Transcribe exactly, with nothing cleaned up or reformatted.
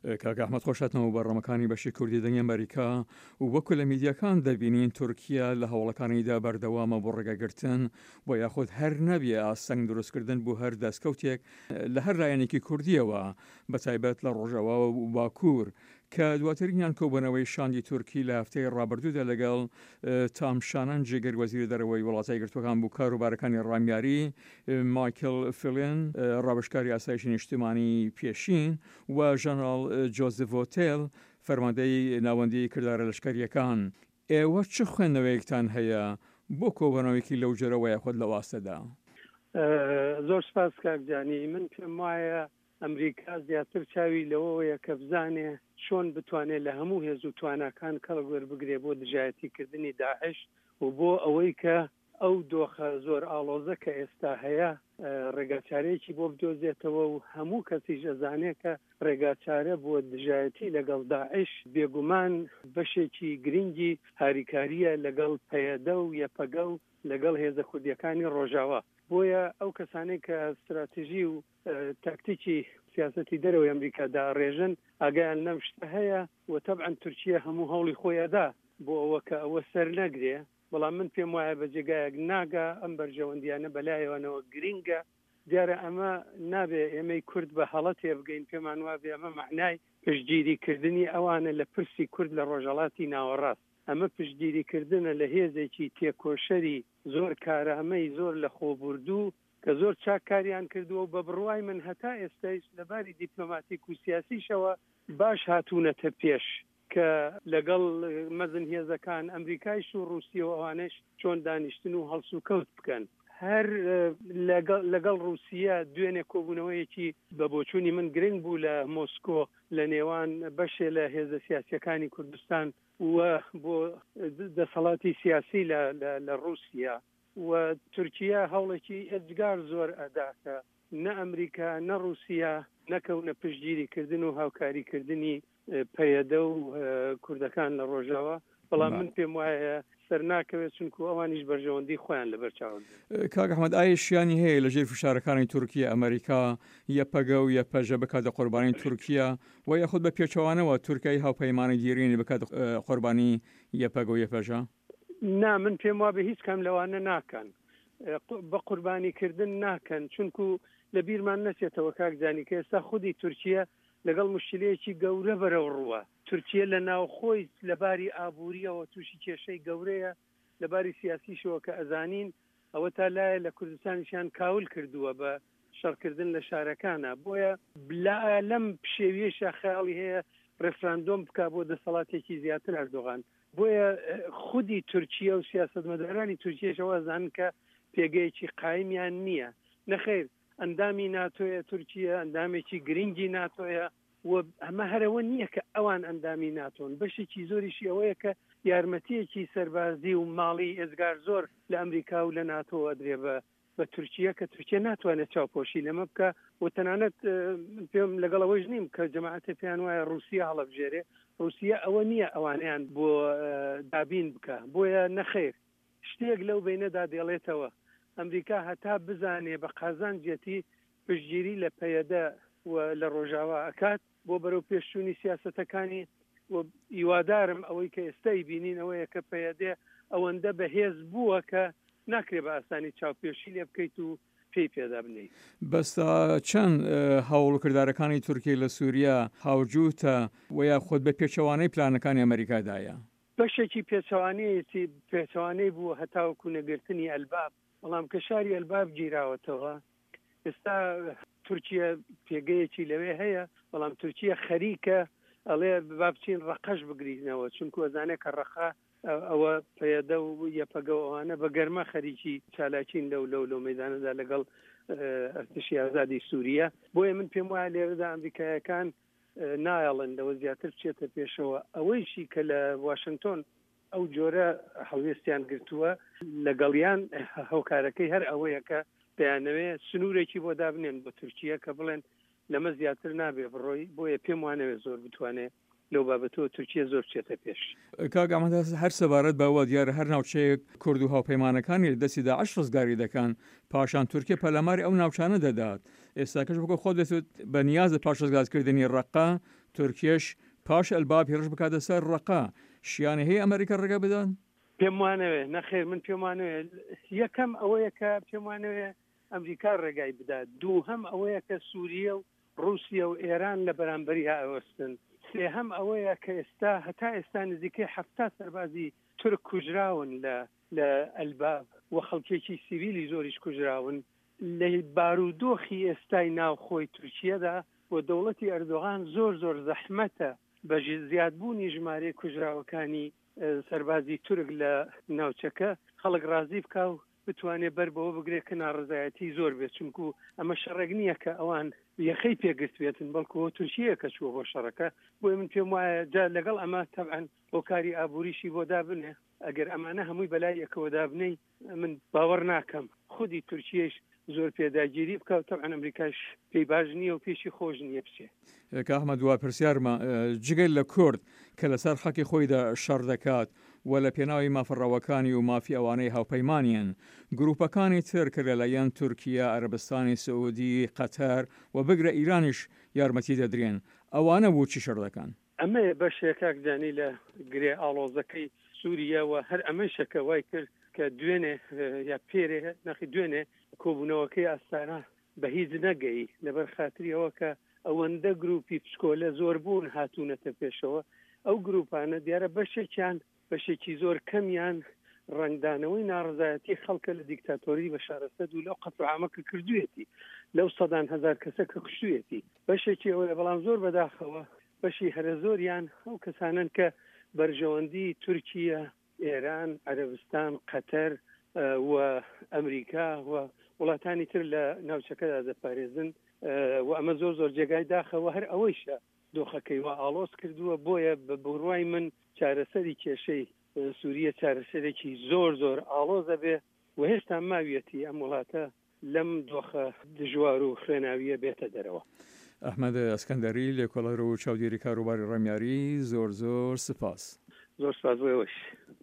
کاک ئەحمەد خۆشهاتنەوە بەرنامەکانی بەشی کوردی دەنگی ئەمریکا و وەکو لە میدیاکان دەبینین تورکیا لە هەوڵەکانیدا بەردەوامە بۆ ڕێگەگرتن و یاخود هەر نەبێ ئاستەنگ دروستکردن بۆ هەر دەستکەوتێک لە هەر لایەنێکی کوردیەوە بە تایبەت لە ڕۆژئاوا و باکوور کە دواترینیان کۆبوونەوەی شاندی تورکی لە هەفتەی ڕابردوودا لەگەڵ تام شانن جێگر وەزیری دەرەوەی وڵاتە یەکگرتووەکان بۆ کاروبارەکانی ڕامیاری، مایکل فلین ڕاوێژکاری ئاسایشی نیشتمانی پێشین و ژەنەراڵ جۆزف ڤۆتێل فەرماندەی ناوەندی کردارە لەشکەرییەکان. ئێوە چ خوێندنەوەیەکتان هەیە بۆ کۆبوونەوەیەکی لەو جۆرە وەیاخود لەو ئاستەدا؟ زۆر سپاس کاک جانی. من پێم وایە ئەمریکا زیاتر چاوی لەوەوەیە کە بزانێ چۆن بتوانێ لە هەموو هێز و تواناکان کەڵک وەربگرێ بۆ دژایەتی کردنی داعش و بۆ ئەوەی کە ئەو دۆخە زۆر ئاڵۆزە کە ئێستا هەیە ڕێگاچارەیەکی بۆ بدۆزێتەوە و هەموو کەسیش ئەزانێ کە ڕێگاچارە بۆ دژایەتی لەگەڵ داعش بێگومان بەشێکی گرینگی هاریکارییە لەگەڵ پەیەدە و یەپەگە و لەگەڵ هێزە کوردییەکانی ڕۆژاوا. بۆیە ئەو کەسانەی کە ستراتژی و تاکتیکی سیاسەتی دەرەوەی ئەمریکا دائەڕێژن ئاگایان لەم شتە هەیە و تەبعەن تورکیە هەموو هەوڵی خۆی ئەدا بۆ ئەوە کە ئەوە سەر نەگرێ بەڵام من پێم وایە بە جێگایەک ناگا ئەم بەرژەوەندیانە بەلایەوانەوە گرینگە دیارە ئەمە نابێ ئێمەی کورد بە هەڵە تێبگەین پێمان وابێ ئەمە مەعنای پشتگیری کردنی ئەوانە لە پرسی کورد لە ڕۆژهەڵاتی ناوەڕاست ئەمە پشتگیری کردنە لە هێزێکی تێکۆشەری زۆر کارامەی زۆر لەخۆبوردوو کە زۆر چاک کاریان کردووە و بە بڕوای من هەتا ئێستایش لە باری دیپلۆماتیک و سیاسیشەوە باش هاتوونەتە پێش کە لەگەڵ مەزن هێزەکان ئەمریکایش و ڕووسیە و ئەوانەش چۆن دانیشتن و هەڵسوکەوت بکەن. هەر لەگەڵ لەگەڵ ڕووسیە دوێنێ کۆبوونەوەیەکی بە بۆچوونی من گرنگ بوو لە مۆسکۆ لە نێوان بەشێ لە هێزە سیاسییەکانی کوردستان و بۆ دەسەڵاتی سیاسی لە لە ڕووسیە. و تورکیە هەوڵێکی ئێجگار زۆر ئەدا کە نە ئەمریکا نە ڕووسیە نەکەونە پشتگیری کردن و هاوکاری کردنی پەیەدە و کوردەکان لە ڕۆژاوا، بەڵام من پێم وایە سەر ناکەوێت چونکو ئەوانیش بەرژەوەندی خۆیان لەبەر چاو دەگرن. کاک ئەحمەد ئایا شیانی هەیە لە ژێر فشارەکانی تورکیە ئەمریکا یەپەگە و یەپەژە بکاتە قوربانی تورکیە و یاخود بە پێچەوانەوە تورکیای هاوپەیمانی دیرینی بکاتە قوربانی یەپەگە و یەپەژە؟ نا من پێم وابێ هیچ کام لەوانە ناکەن بە قوربانی کردن ناکەن چونکو لە بیرمان نەچێتەوە کاک جانی کە ئێستا خودی تورکیە لەگەڵ مشکلەیەکی گەورە بەرەو ڕووە تورکیە لە ناوخۆی لە باری ئابووریەوە تووشی کێشەی گەورەیە لە باری سیاسیشەوە کە ئەزانین ئەوە تا لایە لە کوردستانیشیان کاول کردووە بە شەڕکردن لە شارەکانە بۆیە لە لەم پشێویەشا خەیاڵی هەیە ڕێفراندۆم بکا بۆ دەسەڵاتێکی زیاتر ئەردۆغان بۆیە خودی تورکیە و سیاسەتمەدارانی تورکیەش ئەوە ئەزانن کە پێگەیەکی قایمیان نییە. نەخەیر ئەندامی ناتۆیە تورکیە، ئەندامێکی گرینگی ناتۆیە و ئەمە هەر ئەوە نییە کە ئەوان ئەندامی ناتۆن، بەشێکی زۆریشی ئەوەیە کە یارمەتییەکی سەربازی و ماڵی ئێجگار زۆر لە ئەمریکا و لە ناتۆ ئەدرێ بە بە تورکیە کە تورکیە ناتوانێت چاوپۆشی لەمە بکا و تەنانەت من پێم لەگەڵ ئەوەیش نیم کە جەماعەتێ پێیان وایە ڕووسیە هەڵەبژێرێ، ڕووسیە ئەوە نییە ئەوانەیان بۆ دابین بکا، بۆیە نەخەیر شتێک لەو بەینەدا دێڵێتەوە. ئەمریکا هەتا بزانێ بە قازانجیەتی پشتگیری لە پەیەدە و لە ڕۆژاوا ئەکات بۆ بەرەو پێشچوونی سیاسەتەکانی و هیوادارم ئەوەی کە ئێستا ئەیبینین ئەوەیە کە پەیەدە ئەوەندە بەهێز بووە کە ناکرێ بە ئاسانی چاوپێشی لێ بکەیت و پێی پێدا بنێیت. بەس تا چەند هەوڵ و کردارەکانی تورکیە لە سوریە هاوجووتە و یاخود بە پێچەوانەی پلانەکانی ئەمەریکادایە؟ بەشێکی پێچەوانەیەتی پێچەوانەی بووە هەتاوەکو نەگرتنی ئەلباب، بەڵام کە شاری ئەلباب گیراوەتەوە ئێستا تورکیە پێگەیەکی لەوێ هەیە، بەڵام تورکیە خەریکە ئەڵێ با بچین ڕەقەش بگرینەوە، چونکو ئەزانێ کە ڕەقە ئەوە پەیەدە و یەپەگە و ئەوانە بە گەرمە خەریکی چالاکین لەو لەو لەو مەیدانەدا لەگەڵ ئەرتشی ئازادی سووریە. بۆیە من پێم وایە لێرەدا ئەمریکایەکان نایەڵن لەوە زیاتر بچێتە پێشەوە. ئەوەیشی کە لە واشنگتۆن ئەو جۆرە هەڵوێستیان گرتووە لەگەڵیان هۆکارەکەی هەر ئەوەیە کە دەیانەوێ سنوورێکی بۆ دابنێن بۆ تورکیە کە بڵێن لەمە زیاتر نابێ بڕۆی، بۆیە پێم وانەوێ زۆر بتوانێ لەو بابەتەوە تورکیە زۆر بچێتە پێش. کاک ئەحمەد هەر سەبارەت بەوە دیارە هەر ناوچەیەک کورد و هاوپەیمانەکانی لە دەستی داعش ڕزگاری دەکەن، پاشان تورکیە پەلاماری ئەو ناوچانە دەدات، ئێستاکەش وەکو خۆت دەتوت بە نیازە پاش ڕزگارکردنی ڕەققە تورکیەش پاش ئەلباب هێرش بکاتە سەر ڕەقە، شیانی هەیە ئەمریکا ڕێگە بدات؟ پێم وانەوێ، نەخێر من پێم وانەوێ. یەکەم ئەوەیە کە پێم وانەوێ ئەمریکا ڕێگای بدات، دووهەم ئەوەیە کە سووریە و ڕووسیە و ئێران لە بەرامبەریا ئەوەستن، سێهەم ئەوەیە کە ئێستا هەتا ئێستا نزیکەی حەفتا سەربازی تورک کوژراون لە لە ئەلباب و خەڵکێکی سیڤیلی زۆریش کوژراون. لە بارودۆخی ئێستای ناوخۆی تورکیەدا بۆ دەوڵەتی ئەردۆغان زۆر زۆر زەحمەتە بە زیادبوونی ژمارەی کوژراوەکانی سەربازی تورک لە ناوچەکە خەڵک ڕازی بکا و بتوانێت بەر بەوە بگرێت کە ناڕزایەتی زۆر بێت، چونکو ئەمە شەڕێک نییە کە ئەوان یەخەی پێگرت بێتن، بەڵکو تورکیە کە چووە بۆ شەڕەکە. بۆیە من پێم وایە جا لەگەڵ ئەمە تەبعەن هۆکاری ئابووریشی بۆ دابنێ، ئەگەر ئەمانە هەمووی بەلای یەکەوە دابنەی من باوەڕ ناکەم خودی تورکیەش زۆر پێداگیری بکە و تەبعەن ئەمریکاش پێی باش نییە و پێشی خۆش نییە بچێ. کاک ئەحمەد دوا پرسیارمە، جگە لە کورد کە لەسەر خاکی خۆیدا شەڕ دەکات و لە پێناوی مافە ڕەواکانی و مافی ئەوانەی هاوپەیمانین، گروپەکانی تر کە لەلایەن تورکیە، عەرەبستانی سعودی، قەتەر و بگرە ئیرانیش یارمەتی دەدرێن، ئەوانە بۆچی شەڕ دەکەن؟ ئەمەیە بەشێک کاک جانی لە گرێ ئاڵۆزەکەی سووریە و هەر ئەمەیشە کە وای کرد کە دوێنێ یا پێرێ نەخی دوێنێ کۆبوونەوەکەی ئاستانە بە هیچ نەگەی، لەبەر خاتری ئەوە کە ئەوەندە گروپی پچکۆلە زۆر بوون هاتوونەتە پێشەوە. ئەو گروپانە دیارە بەشێکیان بەشێکی زۆر کەمیان ڕەنگدانەوەی ناڕزایەتی خەڵکە لە دیکتاتۆری بەشار ئەسەد و لەو قەتل عامە کە کردوویەتی، لەو سەدان هەزار کەسە کە کوشتوویەتی، بەشێکی ئەوەیە. بەڵام زۆر بەداخەوە بەشی هەرە زۆریان ئەو کەسانن کە بەرژەوەندی تورکیە، ئێران، عەرەبستان، قەتەر و ئەمریکا و وڵاتانی تر لە ناوچەکەدا دەپارێزن و ئەمە زۆر زۆر جێگای داخەوە. هەر ئەوەیشە دۆخەکەی وا ئاڵۆز کردووە. بۆیە بە بڕوای من چارەسەری کێشەی سووریە چارەسەرێکی زۆر زۆر ئاڵۆزە بێ و هێشتا ماویەتی ئەم وڵاتە لەم دۆخە دژوار و خوێناویە بێتە دەرەوە. ئەحمەد ئەسکەندەری، لێکۆڵەر و چاودێری کاروباری ڕامیاری، زۆر زۆر سپاس. زۆر سپاس بۆ ئێوەش.